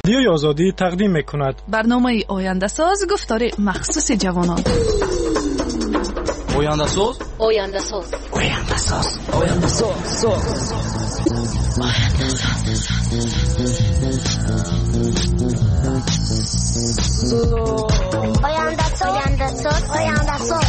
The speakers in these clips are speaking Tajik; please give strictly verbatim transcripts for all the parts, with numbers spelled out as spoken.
Радиои Озодӣ тақдим мекунад. Барномаи Ояндасоз, гуфтори махсуси ҷавонон. Ояндасоз, Ояндасоз, Ояндасоз, Ояндасоз, Ояндасоз, Ояндасоз, Ояндасоз, Ояндасоз.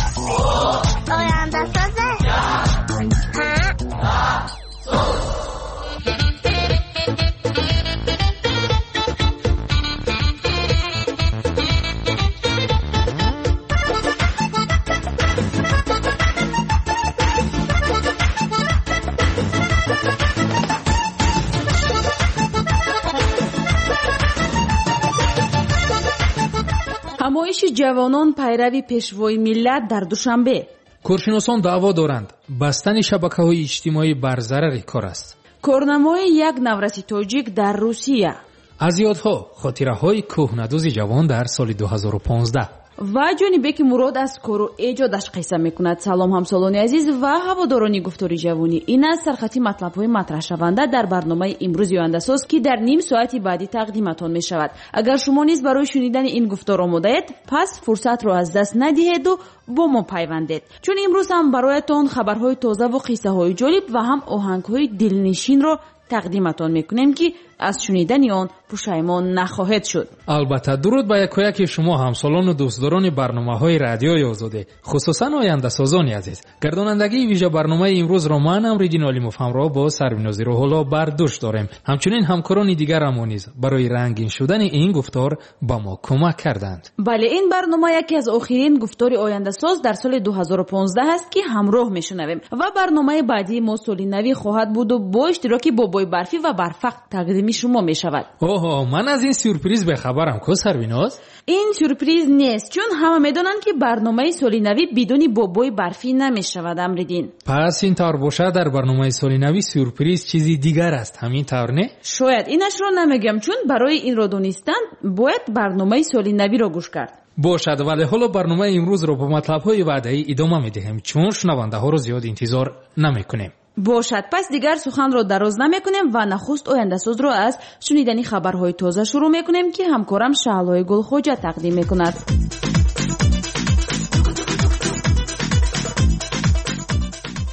Ҳамоиши ҷавонон пайрави пешвои миллат дар Душанбе. Коршиносон даъво доранд, бастани шабакаҳои иҷтимоӣ бар зарари кор аст. Корнамои як навраси тоҷик дар Русия. Аз ёдҳо хотираҳои кӯҳнадӯзи ҷавон дар соли ду ҳазору понздаҳ. Ва Ҷонибеки Мурод аз кору эҷодаш қисса мекунад. Салом ҳамсолони азиз ва ҳаводорони гуфтори ҷавонӣ. Ин аст сархати матлабҳои матраҳшаванда дар барномаи имрӯзи Ояндасоз, ки дар ним соати баъдӣ тақдиматон мешавад. Агар шумо низ барои шунидани ин гуфтор омодаед, пас фурсатро аз даст надиҳеду бо мо пайвандед, чун имрӯз ҳам бароятон хабарҳои тозаву қиссаҳои ҷолиб ва ҳам оҳангҳои дилнишинро тақдиматон мекунем, ки аз шунидани он пушаймон нахоҳед шуд. Албатта, дуруд ба якояки шумо ҳамсолону дӯстдорони барномаҳои Радиои Озодӣ, хусусан ояндасозони азиз. Гардонандагии вижа барномаи имрӯзро ман Амриддин Олимов ҳамроҳ бо Сарвинози Рӯҳулло бар дӯш дорем. Ҳамчунин ҳамкорони дигарамон низ барои рангин шудани ин гуфтор ба мо кӯмак карданд. Бале, ин барнома яке аз охирин гуфтори Ояндасоз дар соли ду ҳазору понздаҳ аст, ки ҳамроҳ мешунавем ва барномаи баъдии мо соли навӣ хоҳад буду бо иштироки бобои барфӣ ва барфақ тақдими шумо мешавад. Оҳо, ман аз ин сюрприз бехабарам, ку Сарвиноз? Ин сюрприз нест, чун ҳама медонанд, ки барномаи соли навӣ бидуни бобои барфӣ намешавад, Амриддин. Пас ин тавр бошад, дар барномаи соли навӣ сюрприз чизи дигар аст, ҳамин тавр не? Шояд инашро намегӯям, чун барои инро донистан бояд барномаи соли навиро гӯш кард. Бошад, вале ҳоло барномаи имрӯзро бо матлабҳои ваъдаӣ идома медиҳем, чун шунавандаҳоро зиёд интизор намекунем. Бошад, пас дигар суханро дароз намекунем ва нахуст Ояндасозро аз шунидани хабарҳои тоза шурӯъ мекунем, ки ҳамкорам Шаҳлои Гулхоҷа тақдим мекунад.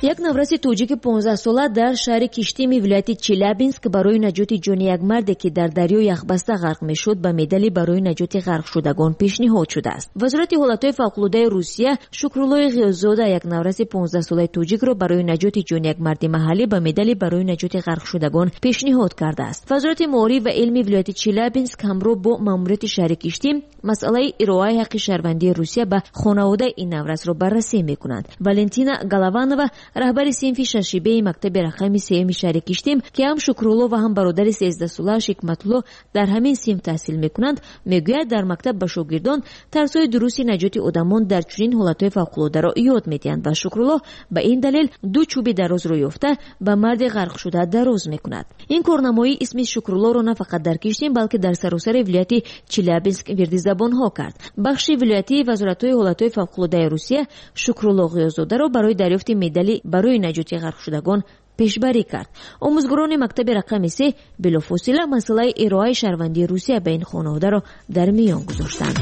Як навраси тоҷики понздаҳсола дар шаҳри Киштими вилояти Челябинск барои наҷоти ҷони як марде, ки дар дарё яхбаста ғарқ мешуд, ба медали барои наҷоти ғарқшудагон пешниҳод шудааст. Вазорати ҳолатҳои фавқулодаи Русия Шукруллои Ғиёззода, як навраси понздаҳсолаи тоҷикро барои наҷоти ҷони як марди маҳаллӣ ба медали барои наҷоти ғарқшудагон пешниҳод кардааст. Вазорати маориф ва илми вилояти Челябинск ҳамроҳ бо маъмурияти шаҳри Киштим масъалаи ироаи ҳаққи шаҳрвандии Русия ба хонаводаи ин наврасро баррасӣ мекунанд. Валентина Голованова, раҳбари синфи шашибеи мактаби рақами сеюми шаҳри Киштим, ки ҳам Шукрулло ва ҳам бародари сездаҳсолааш Ҳикматулло дар ҳамин синф таҳсил мекунанд, мегӯяд дар мактаб ба шогирдон тарзҳои дурусти наҷоти одамон дар чунин ҳолатҳои фавқулодаро ёд медиҳанд ва Шукрулло ба ин далел ду чӯби дарозро ёфта ба марди ғарқшуда дароз мекунад. Ин корнамоӣ исми Шукруллоро на фақат дар Киштим, балки дар саросари вилояти Челябинск вирди забонҳо кард. Бахши вилоятии вазоратҳои ҳолатҳои фавқулодаи Русия Шукрулло Ғиёззодаро барои дарёфти медали барои наҷоти ғарқшудагон пешбарӣ кард. Омӯзгорони мактаби рақами се билофосила масъалаи ироаи шаҳрвандии Русия ба ин хонаводаро дар миён гузоштанд.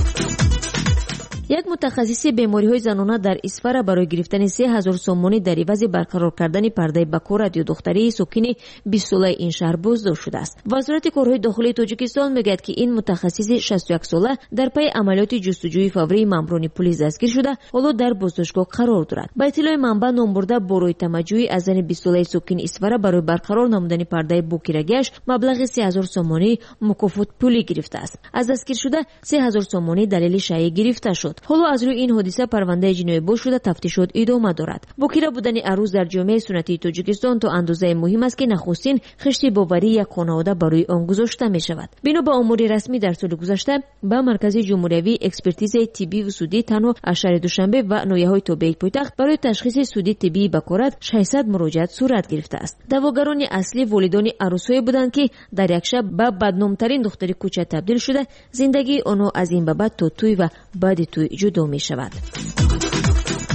Як мутахассиси бемориҳои занона дар Исфара барои гирифтани се ҳазор сомонӣ дар ивази барқарор кардани пардаи бакорат ё духтарии сокини бистсолаи ин шаҳр боздошт шудааст. Вазорати корҳои дохилии Тоҷикистон мегӯяд, ки ин мутахассиси шасту яксола дар пайи амалиёти ҷустуҷӯи фаврии мамурони пулис дастгир шуда, ҳоло дар боздоштгоҳ қарор дорад. Ба иттилои манбаъ, номбурда бо рӯи тамаҷҷӯӣ аз зани бистсолаи сокини Исфара барои барқарор намудани пардаи бокирагиаш маблағи се ҳазор сомонӣ мукофот пулӣ гирифтааст. Аз дастгиршуда се ҳазор сомонӣ далели шайъӣ гирифта шуд. Ҳоло аз рӯи ин ҳодиса парвандаи ҷиноӣ боз шуда, тафтишот идома дорад. Бокира будани арӯз дар ҷомеаи суннатии Тоҷикистон то андозае муҳим аст, ки нахустин хишти боварии як хонавода барои он гузошта мешавад. Бино ба омори расмӣ, дар соли гузашта ба Маркази ҷумҳуриявии экспертизаи тиббиву судӣ танҳо аз шаҳри Душанбе ва ноҳияҳои тобеи пойтахт барои ташхиси судии тиббии бакорат шашсад муроҷиат сурат гирифтааст. Даъвогарони аслӣ волидони арӯсҳое буданд, ки дар як шаб ба бадномтарин духтари кӯча табдил шуда, зиндагии онҳо аз ин ба баъд то тӯй ва баъди тӯй ҷудо мешавад.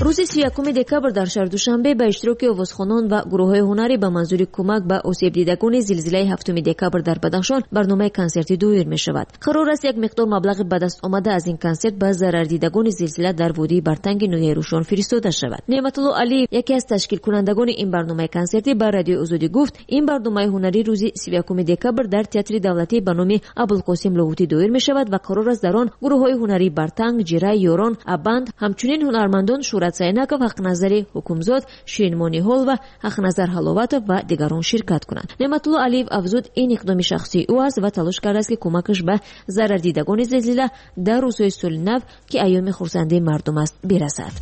Рӯзи сию якуми декабр дар шаҳри Душанбе ба иштироки овозхонон ва гурӯҳҳои ҳунарӣ ба манзури кӯмак ба осебдидагони зилзилаи ҳафтуми декабр дар Бадахшон барномаи консертӣ доир мешавад. Қарор аст як миқдор маблағи ба даст омада аз ин консерт ба зарардидагони зилзила дар водии Бартанги ноҳияи Рӯшон фиристода шавад. Неъматулло Алиев, яке аз ташкилкунандагони ин барномаи консертӣ, ба Радиои Озодӣ гуфт, ин барномаи ҳунарӣ рӯзи сию якуми декабр дар театри давлатӣ ба номи Абулқосим Лоҳутӣ доир мешавад ва қарор аст дар он гурӯҳҳои ҳунарии Бартанг, Ҷира, Ёрон, Абанд, ҳамчунин ҳунармандон Шӯрат Сайнаков, Ҳақназари Ҳукумзод, Ширинмониҳол ва Ҳақназар Ҳаловатов ва дигарон ширкат кунанд. Неъматулло Алиев афзуд, ин иқдоми шахсии ӯ аст ва талош кардааст, ки кӯмакаш ба зарардидагони зилзила дар рӯзҳои соли нав, ки айёми хурсандии мардум аст, бирасад.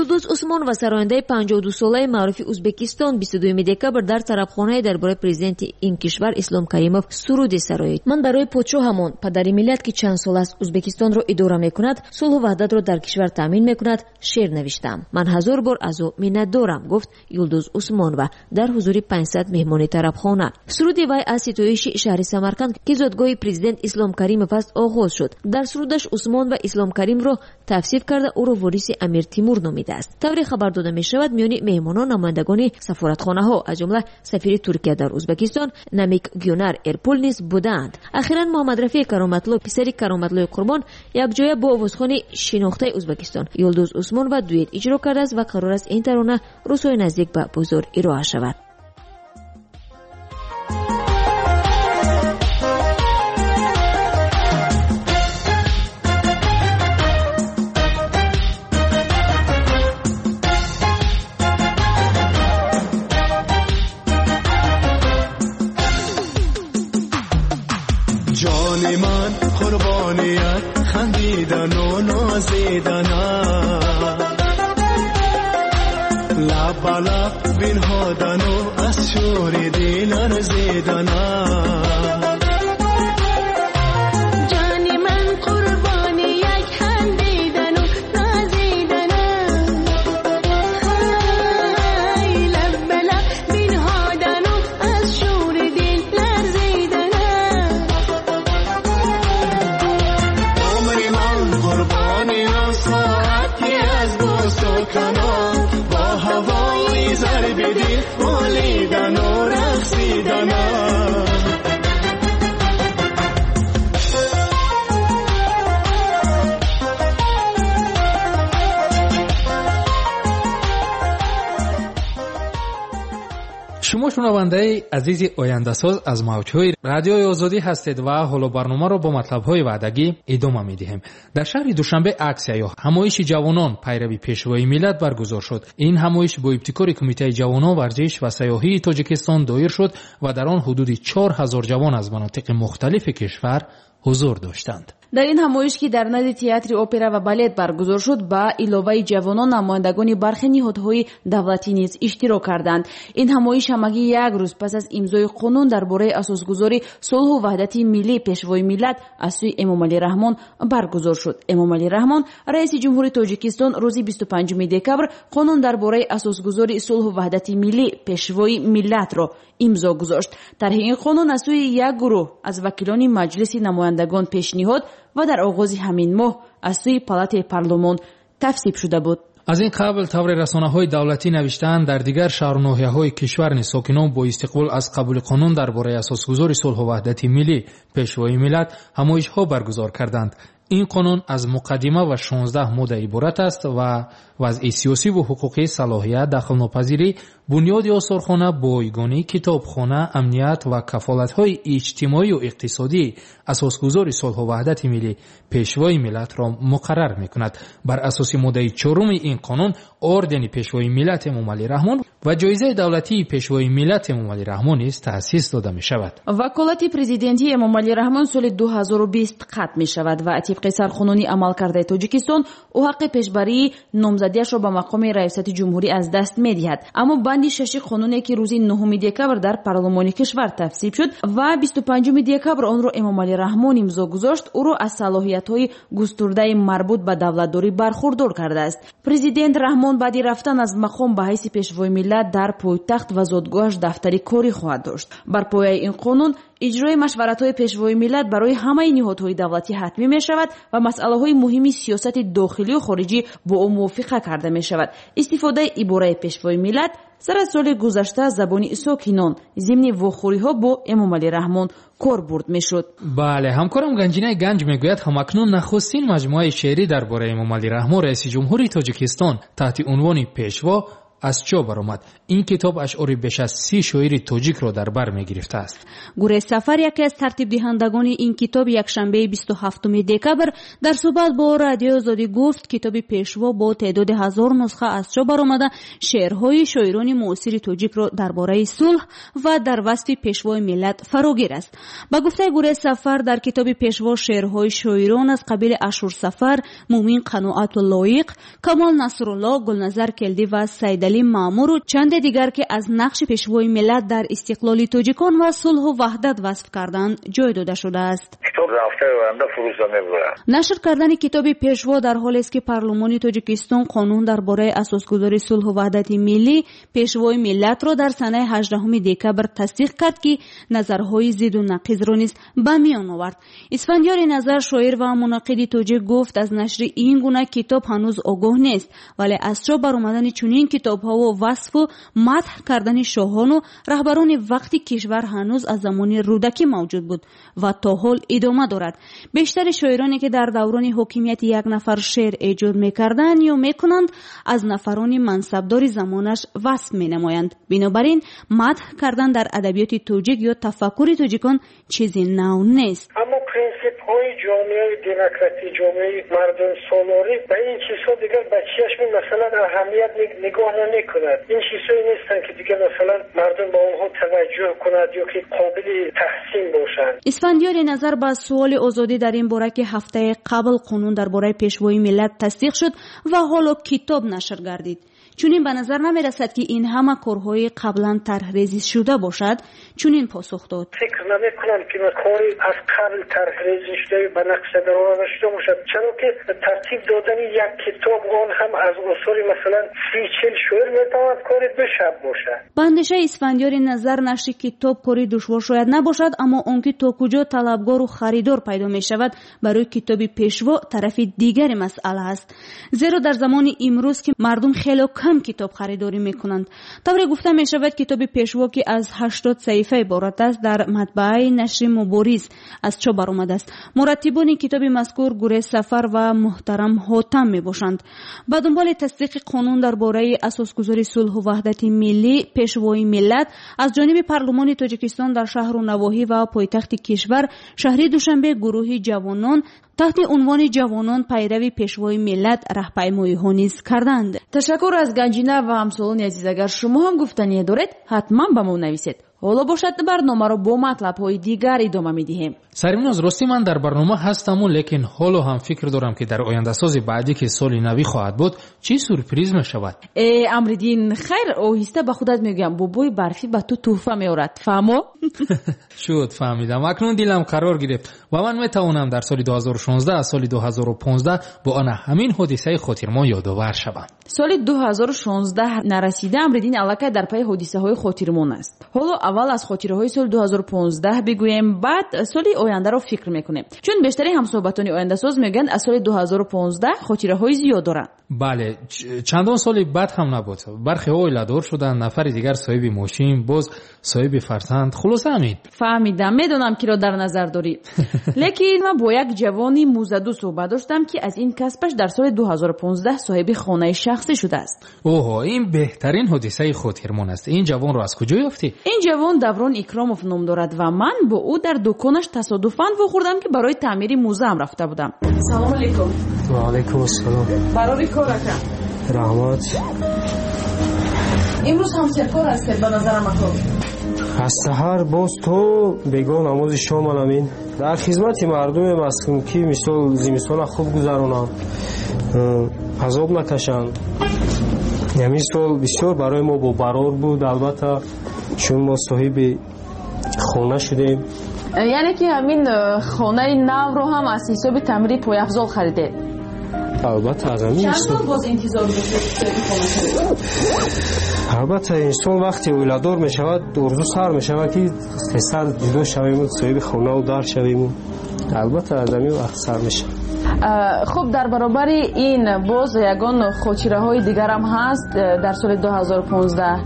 Юлдуз Усмонова, сарояндаи панҷоҳу дусолаи маъруфи Ӯзбекистон, бисту дуюми декабр дар тарабхонае дар бораи президенти ин кишвар Ислом Каримов суруде сароид. Ман барои подшоҳамон, падари миллат, ки чанд сол аст Ӯзбекистонро идора мекунад, сулҳу ваҳдатро дар кишвар таъмин мекунад, шеър навиштам. Ман ҳазор бор аз ӯ миннатдорам, гуфт Юлдуз Усмонова дар ҳузури панҷсад меҳмони тарабхона. Суруди вай аз ситоиши шаҳри Самарқанд, ки зодгоҳи президент Ислом Каримов аст, оғоз шуд. Дар сурудаш Усмонова Ислом Каримро тавсиф карда, ӯро вориси Амир Тимур номид. Тавре хабар дода мешавад, миёни меҳмонон намояндагони сафоратхонаҳо, аз ҷумла сафири Туркия дар Ӯзбекистон Намик Гюнар Эрпул низ будаанд. Ахиран Муҳаммадрафеъ Кароматло, писари Кароматлои Қурбон, якҷоя бо овозхони шинохтаи Ӯзбекистон Юлдуз Усмонова дуэт иҷро кардааст ва қарор аст ин тарона рӯзҳои наздик ба бозор ироа шавад. جان من قربانیت خندیدن و نازیدن لب به لب بنهادن و از شور دل ارزیدن جان من قربانی یک خندیدن و نازیدن لب به لب بنهادن و از شور دل لرزیدن ساعتی از بوس و کنار با هوای ضرب دل بولیدن و رقصیدن Шумо шунавандаи азизи ояндасоз аз мавҷҳои Радиои Озодӣ ҳастед ва ҳоло барномаро бо матлабҳои ваъдагӣ идома медиҳем. Дар шаҳри Душанбе аксия ё ҳамоиши ҷавонон пайрави пешвои миллат баргузор шуд. Ин ҳамоиш бо ибтикори Кумитаи ҷавонон, варзиш ва сайёҳии Тоҷикистон доир шуд ва дар он ҳудуди чор ҳазор ҷавон аз манотиқи мухталифи кишвар ҳузур доштанд. Дар ин ҳамоиш, ки дар назди театри опера ва балет баргузор шуд, ба иловаи ҷавонон намояндагони бархе ниҳодҳои давлатӣ низ иштирок карданд. Ин ҳамоиш ҳамагӣ як рӯз пас аз имзои қонун дар бораи асосгузори сулҳу ваҳдати миллӣ пешвои миллат аз сӯи Эмомалӣ Раҳмон баргузор шуд. Эмомалӣ Раҳмон, раиси ҷумҳури Тоҷикистон, рӯзи бисту панҷуми декабр қонун дар бораи асосгузори сулҳу ваҳдати миллӣ пешвои миллатро имзо гузошт. Тарҳи ин қонун аз сӯи як гурӯҳ аз вакилони Маҷлиси намояндагон пешниҳод ва дар оғози ҳамин моҳ аз сӯи палатаи парлумон тавсиб шуда буд. Аз ин қабл таври расонаҳои давлатӣ навиштаанд, дар дигар шаҳру ноҳияҳои кишвар низ сокинон бо истиқбол аз қабули қонун дар бораи асосгузори сулҳу ваҳдати миллӣ пешвои миллат ҳамоишҳо баргузор карданд. Ин қонун аз муқаддима ва шонздаҳ модда иборат аст ва вазъи сиёсиву ҳуқуқӣ, салоҳият, дахлнопазирӣ, бунёди осорхона, бойгонӣ, китобхона, амният ва кафолатҳои иҷтимоию иқтисодии асосгузори сулҳу ваҳдати миллӣ пешвои миллатро муқаррар мекунад. Бар асоси моддаи чоруми ин қонун ордени пешвои миллат Эмомалӣ Раҳмон ва ҷоизаи давлатии пешвои миллат Эмомалӣ Раҳмон низ таъсис дода мешавад. Ваколати президентии Эмомалӣ Раҳмон соли ду ҳазору бист қатъ мешавад ва тибқи сарқонуни амалкардаи Тоҷикистон ӯ ҳаққи пешбарии номзадиашро ба мақоми раёсати ҷумҳурӣ аз даст медиҳад. Аммо банди шаши қонуне, ки рӯзи нуҳуми декабр дар парлумони кишвар тавсиб шуд ва бисту панҷуми декабр онро Эмомалӣ Раҳмон имзо гузошт, ӯро аз салоҳиятҳои густурдаи марбут ба давлатдорӣ бархурдор кардааст. Президент Раҳмон баъди рафтан аз мақом ба ҳайси пешвои миллат дар пойтахт ва зодгоҳаш дафтари корӣ хоҳад дошт. Бар пояи ин қонун Иҷрои машваратҳои пешвои миллат барои ҳамаи ниҳодҳои давлатӣ ҳатмӣ мешавад ва масъалаҳои муҳими сиёсати дохилию хориҷӣ бо ӯ мувофиқа карда мешавад. Истифодаи ибораи пешвои миллат сар аз соли гузашта забони сокинон зимни вохӯриҳо бо Эмомалӣ Раҳмон кор бурд мешуд. Бале, ҳамкорам Ганҷинаи Ганҷ мегӯяд, ҳамакнун нахустин маҷмӯаи шеърӣ дар бораи Эмомалӣ Раҳмон, раиси ҷумҳури Тоҷикистон, таҳти унвони Пешво аз чоп баромад. Ин китоб ашъори беш аз си шоири тоҷикро дар бар мегирифтааст. Гурез Сафар, яке аз тартибдиҳандагони ин китоб, якшанбеи бисту ҳафтуми декабр дар суҳбат бо Радиои Озодӣ гуфт, китоби Пешво бо теъдоди ҳазор нусха аз чоп баромада шеърҳои шоирони муосири тоҷикро дар бораи сулҳ ва дар васфи пешвои миллат фарогир аст. Ба гуфтаи Гурез Сафар, дар китоби Пешво шеърҳои шоирон аз қабили Ашур Сафар, Мумин Қаноату Лоиқ, Камол Насрулло, Гулназар Келдӣ ва Сайдалӣ Маъмуру чанде дигар, ки аз нақши пешвои миллат дар истиқлоли тоҷикон ва сулҳу ваҳдат васф карданд, ҷой дода шудааст. Нашр кардани китоби Пешво дар ҳолест, ки парлумони Тоҷикистон қонун дар бораи асосгузори сулҳу ваҳдати миллӣ, пешвои миллатро дар санаи ҳаждаҳуми декабр тасдиқ кард, ки назарҳои зиду нақизро низ ба миён овард. Исфандиёри Назар, шоир ва мунаққиди тоҷик, гуфт, аз нашри ин гуна китоб ҳанӯз огоҳ нест, вале аз чоп баромадани чунин китобҳову васфу мадҳ кардани шоҳону раҳбарони вақти кишвар ҳанӯз аз замони Рӯдакӣ мавҷуд буд ва то ҳол идома дорад. Бештари шоироне, ки дар даврони ҳокимияти як нафар шеър эҷод мекарданд ё мекунанд, аз нафарони мансабдори замонаш васф менамоянд. Бинобар ин мадҳ кардан дар адабиёти тоҷик ё тафаккури тоҷикон чизи нав нест. Аммо принсипҳои ҷомеаи демократӣ, ҷомеаи мардумсолорӣ ба ин чизҳо дигар ба чашми масалан аҳамият нигоҳ намекунад. Ин чизҳое нестанд, ки дигар масалан мардум ба онҳо таваҷҷӯҳ кунад ё ки қобили таҳсин бошанд. Исфандиёри Назар ба суоли Озодӣ дар ин бора, ки ҳафтаи қабл қонун дар бораи пешвои миллат тасдиқ шуд ва ҳоло китоб нашр гардид, чунин ба назар намерасад, ки ин ҳама корҳои қаблан тарҳрезӣ шуда бошад, чунин посух дод. Фикр намекунам, ки кори аз қабл тарҳрезӣ шуда ба нақша дароварда шуда бошад, чаро ки тартиб додани як китоб, он ҳам аз осори масалан си чил шоир, метавонад кори ду шаб бошад. Ба андешаи Исфандиёри Назар, нашри китоб кори душвор шояд набошад, аммо он ки то куҷо талабгору харидор пайдо мешавад барои китоби Пешво тарафи дигари масъала аст. Зеро дар замони имрӯз, ки мардум хело кам китоб харидорӣ мекунанд. Тавре гуфта мешавад, китоби Пешво, ки аз ҳаштод саҳифа иборат аст, дар матбааи нашри Мубориз аз чоп баромадааст. Мураттибони китоби мазкур Гурез Сафар ва Муҳтарам Ҳотам мебошанд. Ба дунболи тасдиқи қонун дар бораи асосгузори сулҳу ваҳдати миллӣ, пешвои миллат аз ҷониби парлумони Тоҷикистон дар шаҳру навоҳӣ ва пойтахти кишвар, шаҳри Душанбе, гурӯҳи ҷавонон таҳти унвони ҷавонон пайрави пешвои миллат раҳпаймоиҳо низ карданд. Ташаккур аз Ганҷина ва ҳамсолони азиз. Агар шумо ҳам гуфтание доред, ҳатман ба мо нависед. Ҳоло бошад, барномаро бо матлабҳои дигар идома медиҳем. Сарвиноз, рости ман дар барнома ҳастаму, лекин ҳоло ҳам фикр дорам, ки дар ояндасози баъдӣ, ки соли навӣ хоҳад буд, чӣ сюрприз мешавад. Э, Амриддин, хайр, оҳиста ба худат мегӯям, бобои барфӣ ба ту тӯҳфа меорад. Фаҳмо? Шуд, фаҳмидам. Акнун дилам қарор гирифт ва ман метавонам дар соли ду ҳазору шонздаҳ аз соли ду ҳазору понздаҳ бо ана ҳамин ҳодисаи хотирмон ёдовар шавам. Соли ду ҳазору шонздаҳ нарасида Амриддин аллакай дар пайи ҳодисаҳои хотирмон аст. Ҳоло аввал аз хотираҳои соли ду ҳазору понздаҳ бигӯем, баъд соли ояндаро фикр мекунем. Чун бештари ҳамсӯҳбатони ояндасоз мегӯянд, аз соли ду ҳазору понздаҳ хотираҳои зиёд доранд. Бале, чандон соли бад ҳам набуд. Бархеҳо оиладор шуданд, нафари дигар соҳиби мошин, боз соҳиби фарзанд. Хулоса ҳамин. Фаҳмидам, медонам, киро дар назар дорӣ. Лекин ман бо як ҷавони музаду суҳбат доштам, ки аз ин касбаш дар соли ду ҳазору понздаҳ соҳиби хонаи шахсӣ шудааст. Оҳо, ин беҳтарин ҳодисаи хотирмон аст. Ин ҷавонро аз куҷо ёфтӣ? Ин ҷавон Даврон Икромов ном дорад ва ман бо ӯ дар дуконаш тасодуфан вохӯрдам, ки барои таъмири музаам рафта будам. Салому алейкум. Ва алейкум ассалом. Барори кор ака. Раҳмат. Имрӯз ҳам серкор ҳастед ба назарам ако. Аз саҳар боз то бегоҳ намози шом анамин. Дар хизмати мардумем ҳастем, ки мисол зимистона хуб гузаронанд, азоб накашанд. Ҳамин сол бисёр барои мо бобарор буд, албатта, чун мо соҳиби хона шудем. Яъне ки ҳамин хонаи навро ҳам аз ҳисоби таъмири пойафзол харидед? Албатта аз ҳамин чанд сол боз интизор доштед соҳиби хона шавед? Албатта инсон вақте оиладор мешавад, орзу сар мешавад, ки тезтар ҷудо шавему соҳиби хонаву дар шавему. Албатта аз ҳамин вақт сар мешавад. Хуб, дар баробари ин боз ягон хотираҳои дигарам ҳаст дар соли ду ҳазору понздаҳ?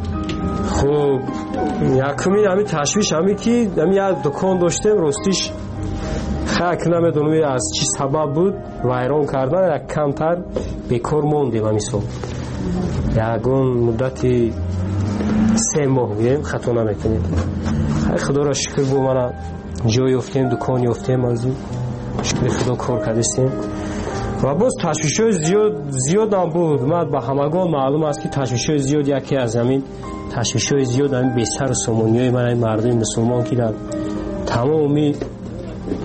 Хуб, якумин ҳамин ташвиш ҳамин ки ҳамин як дукон доштем, ростиш хак намедонам аз чӣ сабаб буд, вайрон кардан, як камтар бекор мондем ҳамин сол. Ягон муддати се моҳ гӯем, хато намекунем. Худоро шукр бо мана ҷой ёфтем, дукон ёфтем, аз шукри Худо кор кардистем. Ва боз ташвишҳои зиёд зиёдам буд. Ман ба ҳамагон маълум аст, ки ташвишҳои зиёд яке аз ҳамин ташвишҳои зиёд ҳамин бесару сомониҳои ман ҳамин мардуми мусулмон, ки дар тамоми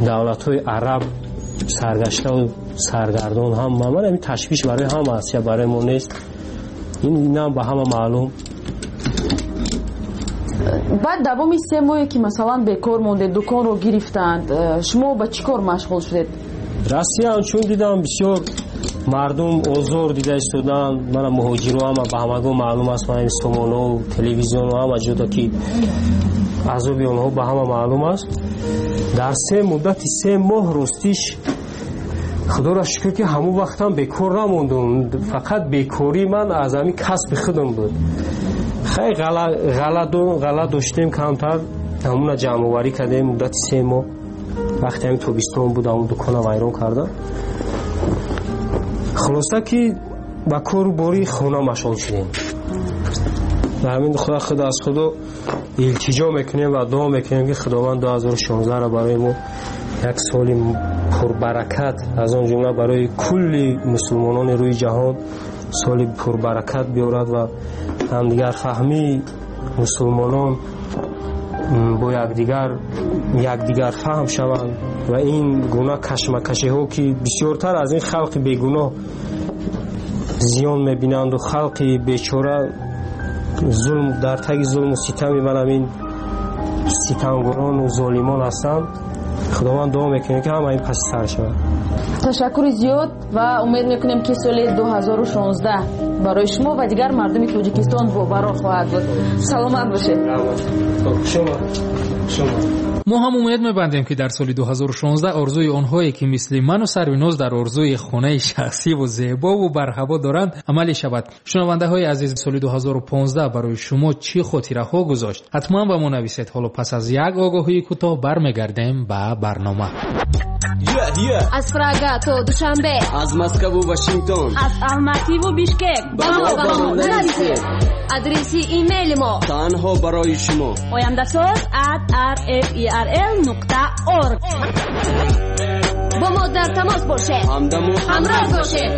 давлатҳои араб саргаштаву саргардон ҳам ман ҳамин ташвиш барои ҳама аст, я барои мо нест. Ин инам ба ҳама маълум. Баъд давоми се моҳе ки масалан бекор мондед, дуконро гирифтанд, шумо ба чӣ кор машғул шудед? Россия чун дидам бисёр мардум озор дида истоданд, мана муҳоҷиро ҳама ба ҳамагон маълум аст, мана сомонаҳо, телевизионҳо ҳама ҷода ки азоби онҳо ба ҳама маълум аст. Дар се муддати се моҳ ростиш Худоро шукр ки ҳамон вақтам бекор намондум. Фақат бекории ман аз ҳамин касби худам буд. Хай ғала доштем камтар, ҳамуна ҷамъоварӣ кардем муддати се моҳ. Вақте ҳамин тобистон буд, ҳамун дукона вайрон кардам. Хулоса ки ба кору бори хона машғул шудем. Ба ҳамин Худо худ аз Худо илтиҷо мекунем ва дуо мекунем, ки Худованд ду ҳазору шонздаҳро барои мо як соли пурбаракат, аз он ҷумла барои кулли мусулмонони рӯи ҷаҳон соли пурбаракат биёрад ва ҳамдигарфаҳмии мусулмонон бо якдигар якдигар фаҳм шаванд ва ин гуна кашмакашиҳо, ки бисёртар аз ин халқи бегуноҳ зиён мебинанду халқи бечора зулм дар таги зулму ситами ман ҳамин ситамгорону золимон ҳастанд. Худованд дуо мекунем, ки ҳама ин паси сар шавад. Ташаккури зиёд ва умед мекунем, ки соли ду ҳазору шонздаҳ барои шумо ва дигар мардуми Тоҷикистон бобарор хоҳад буд. Саломат бошед. Мо ҳам умед мебандем, ки дар соли ду ҳазору шонздаҳ орзуи онҳое, ки мисли ману Сарвиноз дар орзуи хонаи шахсиву зебову барҳаво доранд, амалӣ шавад. Шунавандаҳои азиз, соли ду ҳазору понздаҳ барои шумо чӣ хотираҳо гузошт? Ҳатман ба мо нависед. Ҳоло пас аз як огоҳии кӯтоҳ бармегардем ба барнома. Аз Прага то Душанбе, аз Москву Вашингтон, аз Алмативу Бишкек ба мо ба мо нависед. Адреси имейли мо танҳо барои шумо ояндасоз at r f e r l нуқта org. Бо мо дар тамос бошед, ҳамдаму ҳамроҳ бошед.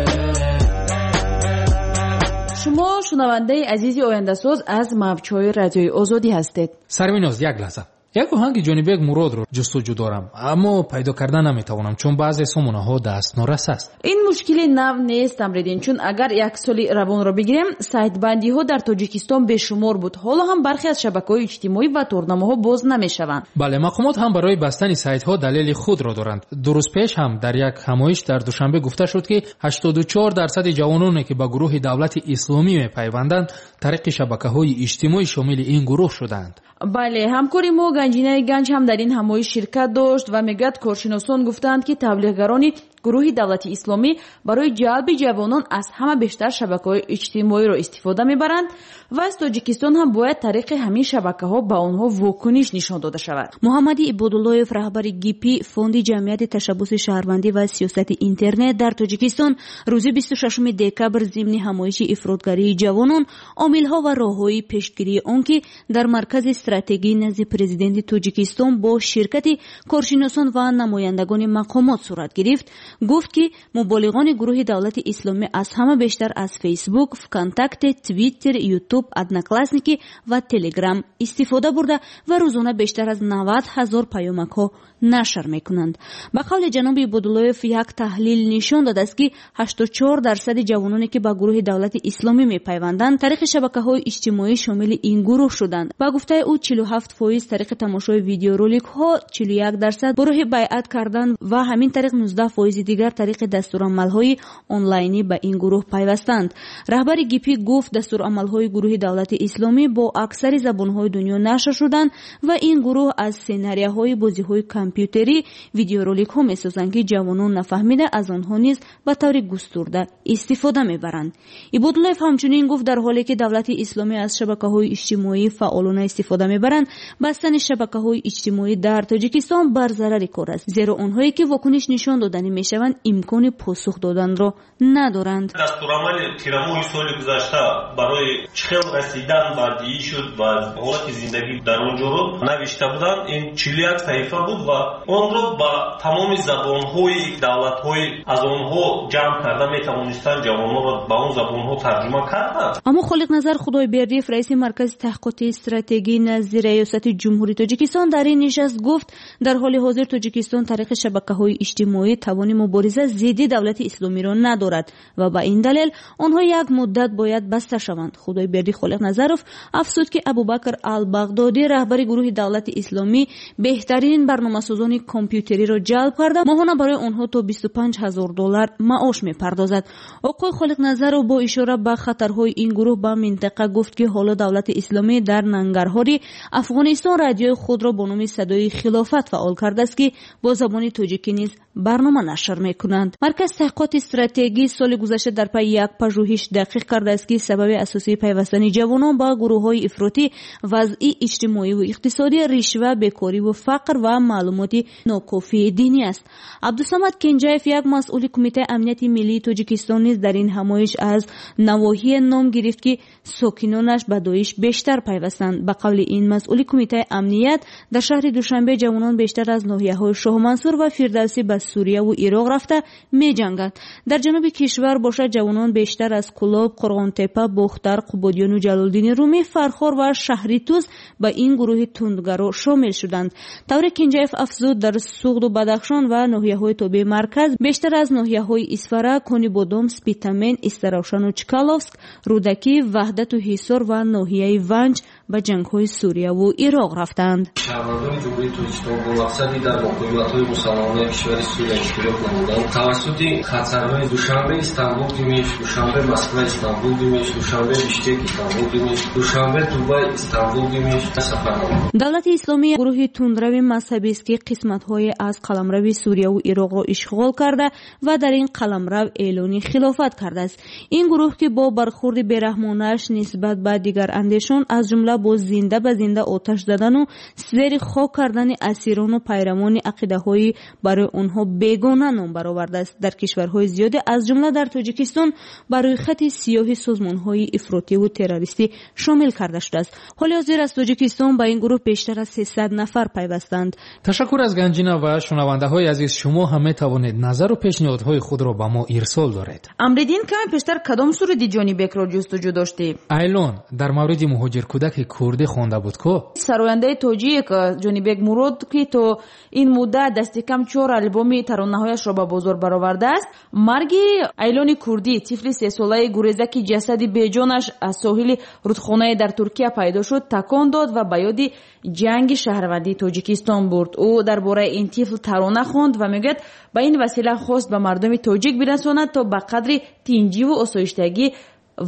Шумо шунавандаи азизи ояндасоз аз мавҷҳои радиои Озодӣ ҳастед. Сарвиноз, як лаҳза. Як оҳанги Ҷонибек Муродро ҷустуҷӯ дорам, аммо пайдо карда наметавонам, чун баъзе сомонаҳо дастнорас аст. Ин мушкили нав нест, Амридин, чун агар як соли равонро бигирем, сайтбандиҳо дар Тоҷикистон бешумор буд. Ҳоло ҳам бархе аз шабакаҳои иҷтимоӣ ва торнамоҳо боз намешаванд. Бале, мақомот ҳам барои бастани сайтҳо далели худро доранд. Ду рӯз пеш ҳам дар як ҳамоиш дар Душанбе гуфта шуд, ки ҳаштоду чор дарсади ҷавононе, ки ба гурӯҳи давлати исломӣ мепайванданд, тариқи шабакаҳои иҷтимоӣ шомили ин гурӯҳ шуданд. Бале, ҳамкори мо Ганҷинаи Ганҷ ҳам дар ин ҳамоиш ширкат дошт ва мегӯяд коршиносон гуфтаанд, ки таблиғгарони гурӯҳи давлати исломӣ барои ҷалби ҷавонон аз ҳама бештар шабакаҳои иҷтимоиро истифода мебаранд ва аз Тоҷикистон ҳам бояд тариқи ҳамин шабакаҳо ба онҳо вокуниш нишон дода шавад. Муҳаммади Ибодуллоев, раҳбари ГИПИ, фонди ҷамъияти ташаббуси шаҳрвандӣ ва сиёсати интернет дар Тоҷикистон, рӯзи бисту шашуми декабр зимни ҳамоиши ифротгарии ҷавонон, омилҳо ва роҳҳои пешгирии он, ки дар маркази стратегии назди президенти Тоҷикистон бо ширкати коршиносон ва намояндагони мақомот сурат гирифт, гуфт, ки муболиғони гурӯҳи давлати исломӣ аз ҳама бештар аз Фейсбук, ВКонтакте, Твиттер, Ютуб, Одноклассники ва Телеграм истифода бурда ва рӯзона бештар аз навад ҳазор паёмакҳо нашр мекунанд. Ба қавли ҷаноби Ибодуллоев, як таҳлил нишон додааст, ки ҳаштоду чор дарсади ҷавононе, ки ба гурӯҳи давлати исломӣ мепайванданд, тариқи шабакаҳои иҷтимоӣ шомили ин гурӯҳ шуданд. Ба гуфтаи ӯ, чилу ҳафт фоиз тариқи тамошои видеороликҳо, чилу як дарсад ба роҳи байъат кардан ва ҳамин тариқ нуздаҳ фоизи дигар тариқи дастурамалҳои онлайнӣ ба ин гурӯҳ пайвастанд. Раҳбари ГИПИ гуфт, дастурамалҳои гурӯҳи Давлати Исломӣ бо аксари забонҳои дунё нашр шуданд ва ин гурӯҳ аз сценарияҳои бозиҳои компютерӣ видеороликҳо месозанд, ки ҷавонон нафаҳмида аз онҳо низ ба таври густурда истифода мебаранд. Ибодуллоев ҳамчунин гуфт, дар ҳоле ки Давлати Исломӣ аз шабакаҳои иҷтимоӣ фаъолона истифода мебаранд, бастани шабакаҳои иҷтимоӣ дар Тоҷикистон бар зарари кор аст, зеро онҳое ки вокуниш нишон доданӣ мешаванд, имкони посух доданро надоранд. Дастурамали тирамоҳи соли гузашта барои чӣ хел расидан ба дииш ва ҳолати зиндагӣ дар он ҷоро навишта буданд. Ин чилу як саҳифа буд ва онро ба тамоми забонҳои давлатҳои аз онҳо ҷамъ карда метавонистанд, ҷавононро ба он забонҳо тарҷума карданд. Аммо Холиқназар Худойбердиев, раиси Маркази таҳқиқоти стратегӣ назди Раёсати Ҷумҳурии Тоҷикистон, дар ин нишаст гуфт, дар ҳоли ҳозир Тоҷикистон тариқи шабакаҳои иҷтимоӣ тавони мубориза зидди Давлати Исломиро надорад ва ба ин далел онҳо як муддат бояд баста шаванд. Худойберди Холиқназаров афзуд, ки Абубакр ал-Бағдодӣ, раҳбари гурӯҳи Давлати Исломӣ, беҳтарин барномасозони компютериро ҷалб карда, моҳона барои онҳо то бисту панҷ ҳазор доллар маош мепардозад. Оқои Холиқназаров бо ишора ба хатарҳои ин гурӯҳ ба минтақа гуфт, ки ҳоло Давлати Исломӣ дар Нангарҳори Афғонистон радиои худро бо номи Садои Хилофат фаъол кардааст, ки бо забони тоҷикӣ низ барнома нашр мекунанд. Маркази таҳқиқоти стратегӣ соли гузашта дар пайи як пажӯҳиш дақиқ кардааст, ки сабаби асосии пайвастани ҷавонон ба гурӯҳҳои ифротӣ вазъи иҷтимоиву иқтисодӣ, ришва, бекориву фақр ва маълумоти нокофии динӣ аст. Абдусамад Кенҷаев, як масъули Кумитаи амнияти миллии Тоҷикистон, низ дар ин ҳамоиш аз навоҳие ном гирифт, ки сокинонаш ба Доиш бештар пайвастанд. Ба қавли ин масъули Кумитаи амният, дар шаҳри Душанбе ҷавонон бештар аз ноҳияҳои Шоҳмансур ва Фирдавсӣ ба Сурияву Ироқ рафта меҷанганд. Дар ҷануби кишвар бошад, ҷавонон бештар аз Кулоб, Қурғонтепа, Бохтар, Қубодиёну Ҷалолдини Румӣ, Фархор ва шаҳри Тӯз ба ин гурӯҳи тундгаро шомил шуданд. Тавре Кенҷаев афзуд, дар Суғду Бадахшон ва ноҳияҳои тобеи марказ бештар аз ноҳияҳои Исфара, Конибодом, Спитамен, Истаравшану Чкаловск, Рӯдакӣ, Ваҳдату Ҳисор ва ноҳияи Ванҷ ба ҷангҳои Сурияву Ироқ рафтанд. Шаҳрвандони Ҷумҳурии Тоҷикистон бо мақсади дар муқовиматҳои мусаллаҳонаи кишвари Сурия иштирок намудан тавассути хатсайрҳои Душанбе Истанбул Димиш, Душанбе Москва Истанбул Димиш, Душанбе Бишкек Истанбул Димиш, Душанбе Дубай Истанбул Димиш сафар намуданд. Давлати Исломӣ гурӯҳи тундрави мазҳабист, ки қисматҳое аз қаламрави Сурияву Ироқро ишғол карда ва дар ин қаламрав эълони хилофат кардааст. Ин гурӯҳ, ки бо бархурди бераҳмонааш нисбат ба дигарандешон, аз ҷумла бо зинда ба зинда оташ задану зери хок кардани асирону пайравони ақидаҳои барои онҳо бегона ном баровардааст, дар кишварҳои зиёде аз ҷумла дар Тоҷикистон ба рӯйхати сиёҳи созмонҳои ифротиву террористӣ шомил карда шудааст. Ҳоли ҳозир аз Тоҷикистон ба ин гурӯҳ бештар аз сесад нафар пайвастанд. Ташаккур аз Ганҷина ва шунавандаҳои азиз, шумо ҳам метавонед назару пешниҳодҳои худро ба мо ирсол доред. Амриддин, каме пештар кадом суруди Ҷонибекро ҷустуҷӯ доштӣ? Айлон дар мавриди муҳоҷиркӯдаки курдӣ хонда буд ку? Сарояндаи тоҷик Ҷонибек Мурод, ки то ин муддат дасти кам чор албоми таронаҳояшро ба бозор баровардааст, марги Айлони курдӣ, тифли сесолаи гуреза, ки ҷасади беҷонаш аз соҳили рудхонае дар Туркия пайдо шуд, такон дод ва ба ёди ҷанги шаҳрвандии Тоҷикистон бурд. Ӯ дар бораи ин тифл тарона хонд ва мегӯяд, ба ин васила хост ба мардуми тоҷик бирасонад, то ба қадри тинҷиву осоиштагӣ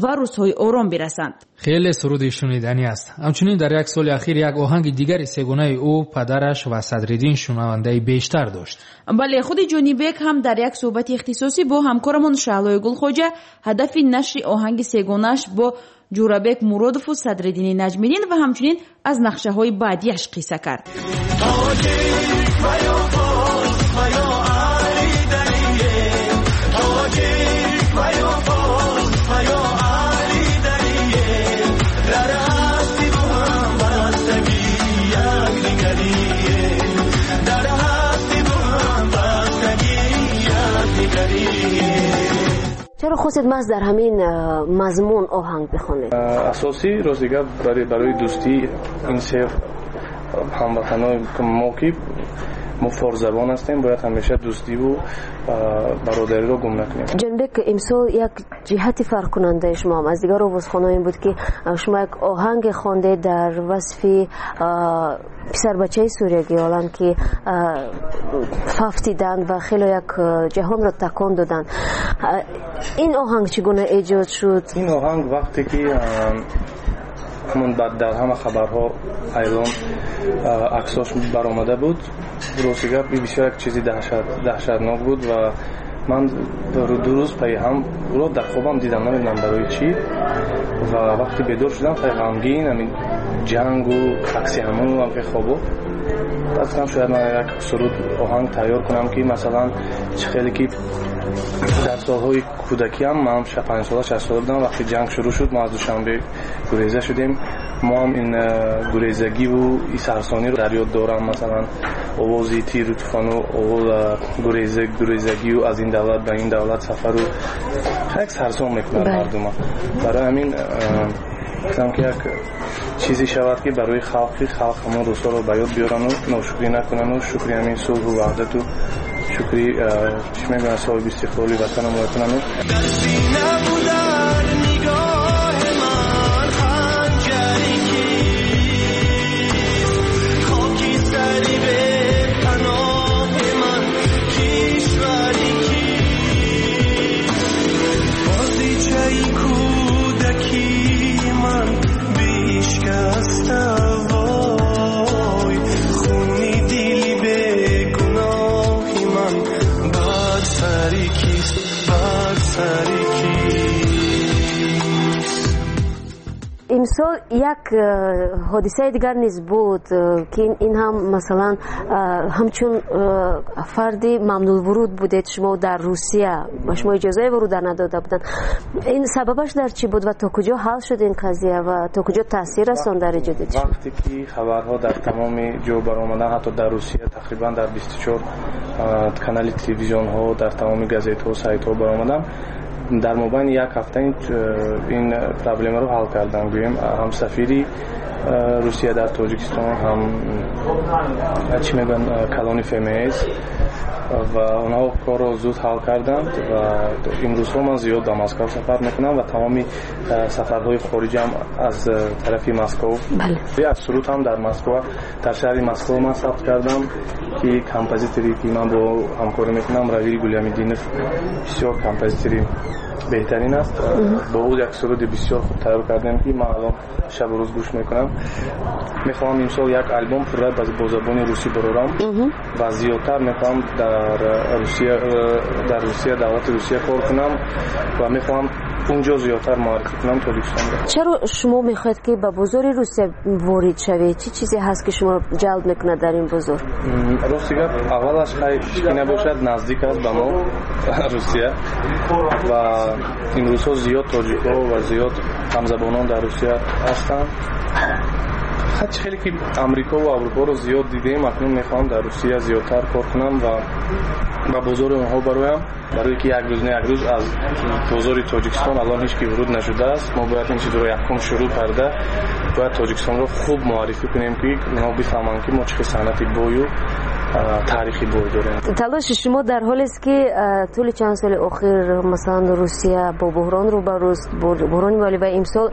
ва рӯзҳои ором бирасанд. Хеле суруди шуниданӣ аст. Ҳамчунин дар як соли ахир як оҳанги дигари сегонаи ӯ, падараш ва Садриддин шунавандаи бештар дошт. Бале, худи Ҷонибек ҳам дар як суҳбати ихтисосӣ бо ҳамкорамон Шаҳлои Гулхоҷа ҳадафи нашри оҳанги сегонааш бо Ҷурабек Муродову Садриддини Наҷмиддин ва ҳамчунин аз нақшаҳои баъдиаш қисса кард. Чаро хостед маҳз дар ҳамин мазмун оҳанг бихонед? Асосӣ рости гап барои дӯстии ин се ҳамватанои мо, ки Мо форсзабон ҳастем, бояд ҳамеша дӯстиву бародариро гум накунем. Ҷонибек, имсол як ҷиҳати фарқкунандаи шумо ҳам аз дигар овозхонҳо ин буд, ки шумо як оҳанге хондед дар васфи писарбачаи суриягиолан, ки фафтиданд ва хеле як ҷаҳонро такон доданд. Ин оҳанг чӣ гуна эҷод шуд? Ин оҳанг вақте ки ҳамон дар ҳама хабарҳо эълон аксош баромада буд, рости гап бисёр як чизи даҳшатнок буд ва ман ду рӯз пайи ҳам ӯро дар хобам дидам, намедонам барои чӣ. Ва вақте бедор шудам хеле ғамгин, ҳамин ҷангу акси ҳамон ҳам хобо. Гуфтам шояд ман як суруд оҳанг тайёр кунам, ки масалан чӣ хеле ки дар солҳои кӯдакиам, ман панҷ сола шаш сола будам, вақте ҷанг шурӯъ шуд, мо аз Душанбе гуреза шудем. Мо ҳам ин гурезагиву ин сарсониро дар ёд дорам, масалан овози тиру туфону гурезагию аз ин давлат ба ин давлат сафару як сарсон мекунад мардума. Барои ҳамин гуфтам ки як чизе шавад, ки барои халқи халқ ҳамон рӯзҳоро ба ёд биёрану ношукрӣ накунану шукри ҳамин сулҳу ваҳдату шукри чӣ мегӯянд соҳиби истиқлоли ватанамон кунану. Имсол як ҳодисаи дигар низ буд, ки ин ҳам масалан ҳамчун фарди мамнӯъвуруд будед шумо дар Русия, ба шумо иҷозаи вуруд надода буданд. Ин сабабаш дар чӣ буд ва то куҷо ҳал шуд ин қазия ва то куҷо таъсир расонд дар эҷоди шумо? Вақте ки хабарҳо дар тамоми ҷо баромаданд, ҳатто дар Русия тақрибан дар бисту чор канали телевизионҳо, дар тамоми газетҳо, сайтҳо баромаданд, дар мобайни як ҳафта ин проблемаро ҳал карданд. Гӯем ҳам сафири Русия дар Тоҷикистон, ҳам чӣ мегӯянд калони эф эм эс, ва онҳо корро зуд ҳал карданд. Ва имрӯзҳо ман зиёд ба Москва сафар мекунам ва тамоми сафарҳои хориҷам аз тарафи Москва. Аз суруд ҳам дар Москва, дар шаҳри Москва ман сабт кардам, ки композиторе ки ман бо ҳамкорӣ мекунам, Равил Гулямидинов, бисёр композитори беҳтарин аст. Бо ӯ як суруди бисёр хуб тайёр кардем, ки ман алон шабу рӯз гӯш мекунам. Мехоҳам имсол як албом пурра бо забони русӣ барорам ва зиёдтар мехоҳам дар Русия, дар Русия, давлати Русия кор кунам ва мехоҳам унҷо зиёдтар муаррифӣ кунам Тоҷикистонро. Чаро шумо мехоҳед, ки ба бозори Русия ворид шавед? Чӣ чизе ҳаст, ки шуморо ҷалб мекунад дар ин бозор? Рости гап, аввалаш хай ки набошад, наздик аст ба мо Русия ва имрӯзҳо зиёд тоҷикҳо ва зиёд ҳамзабонон дар Русия ҳастанд. Ҳарчи хеле ки Амрико ва Аврупоро зиёд дидем, акнун мехоҳам дар Русия зиёдтар кор кунам ва ба бозори онҳо бароям, барои ки як рӯз не як рӯз аз бозори Тоҷикистон алон ҳеҷ ки вуруд нашудааст. Мо бояд ин чизро якум шурӯъ карда бояд Тоҷикистонро хуб муаррифӣ кунем, ки онҳо бифаҳманд, ки мо чӣ санъати бою таърихи бой дорем. Талоши шумо дар ҳолест, ки тӯли чанд соли охир масалан Русия бо буҳрон рӯбарӯст, буҳрони молӣ ва имсол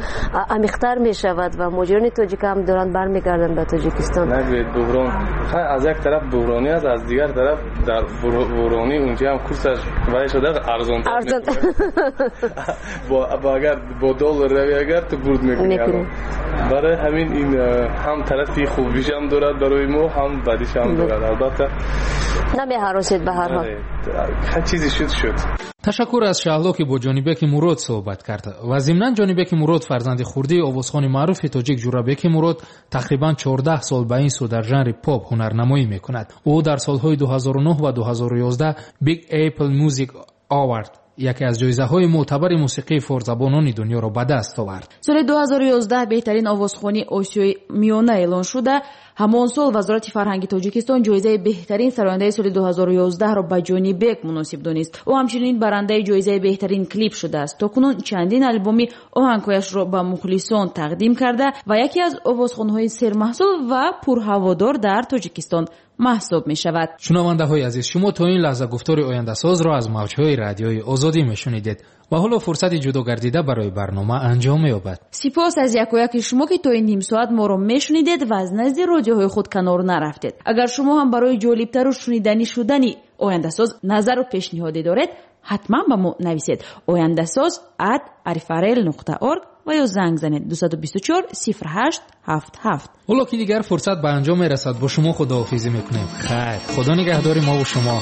амиқтар мешавад ва муҳоҷирони тоҷик ҳам доранд бармегарданд ба Тоҷикистон. Нагӯед буҳрон, аз як тараф буҳронӣ аст, аз дигар тараф дар буҳронӣ унҷа ҳам курсаш вай шуда арзонтар. Бо агар бо доллар рави, агар ту бурд мекунӣ. Барои ҳамин ин ҳам тарафи хубишам дорад барои мо, ҳам бадишам дорад. Албатта намеҳаросед ба ҳар ҳол. Ҳар чизе шуд шуд. Ташаккур аз Шаҳло, ки бо Ҷонибеки Мурод суҳбат кард. Ва зимнан Ҷонибеки Мурод фарзанди хурдии овозхони маъруфи тоҷик Ҷурабеки Мурод тақрибан чордаҳ сол ба ин сӯ дар жанри поп ҳунарнамоӣ мекунад. Ӯ дар солҳои ду ҳазору нӯҳ ва ду ҳазору ёздаҳ Big Apple Music Award, яке аз ҷоизаҳои мӯътабари мусиқии форсзабонони дунёро ба даст овард. Соли ду ҳазору ёздаҳ беҳтарин овозхони Осиёи Миёна эълон шуда. Ҳамон сол Вазорати фарҳанги Тоҷикистон ҷоизаи беҳтарин сарояндаи соли ду ҳазору ёздаҳро ба Ҷонибек муносиб донист. Ӯ ҳамчунин барандаи ҷоизаи беҳтарин клип шудааст. То кунун чандин албоми оҳангҳояшро ба мухлисон тақдим карда ва яке аз овозхонҳои сермаҳсул ва пурҳаводор дар Тоҷикистон маҳсуб мешавад. Шунавандаҳои азиз, шумо то ин лаҳза гуфтори ояндасозро аз мавҷҳои радиои Озодӣ мешунидед ва ҳоло фурсати ҷудо гардида барои барнома анҷом меёбад. Сипос аз якояки шумо, ки то ин ним соат моро мешунидед ва аз назди радиоҳои худ канор нарафтед. Агар шумо ҳам барои ҷолибтару шуниданӣ шудани ояндасоз назару пешниҳоде доред, ҳатман ба мо нависед ояндасоз at arifarel нуқта org ва ё занг занед дусаду бисту чор сифр ҳашт ҳафт ҳафт. Ҳоло ки дигар фурсат ба анҷом мерасад, бо шумо худоҳофизӣ мекунем. Хайр, худо нигаҳдори мо ва шумо.